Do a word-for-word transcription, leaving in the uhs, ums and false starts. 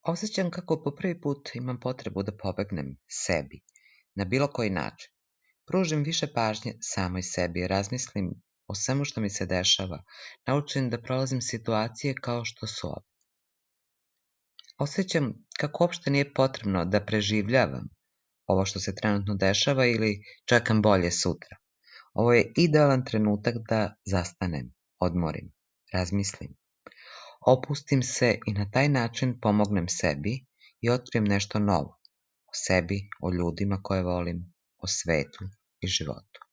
Osjećam kako po prvi put imam potrebu da pobegnem sebi, na bilo koji način. Pružim više pažnje samoj sebi, razmislim o svemu što mi se dešava, naučim da prolazim situacije kao što su ove. Osjećam kako uopšte nije potrebno da preživljavam ovo što se trenutno dešava ili čekam bolje sutra. Ovo je idealan trenutak da zastanem, odmorim, razmislim. Opustim se i na taj način pomognem sebi i otkrijem nešto novo o sebi, o ljudima koje volim, o svetu i životu.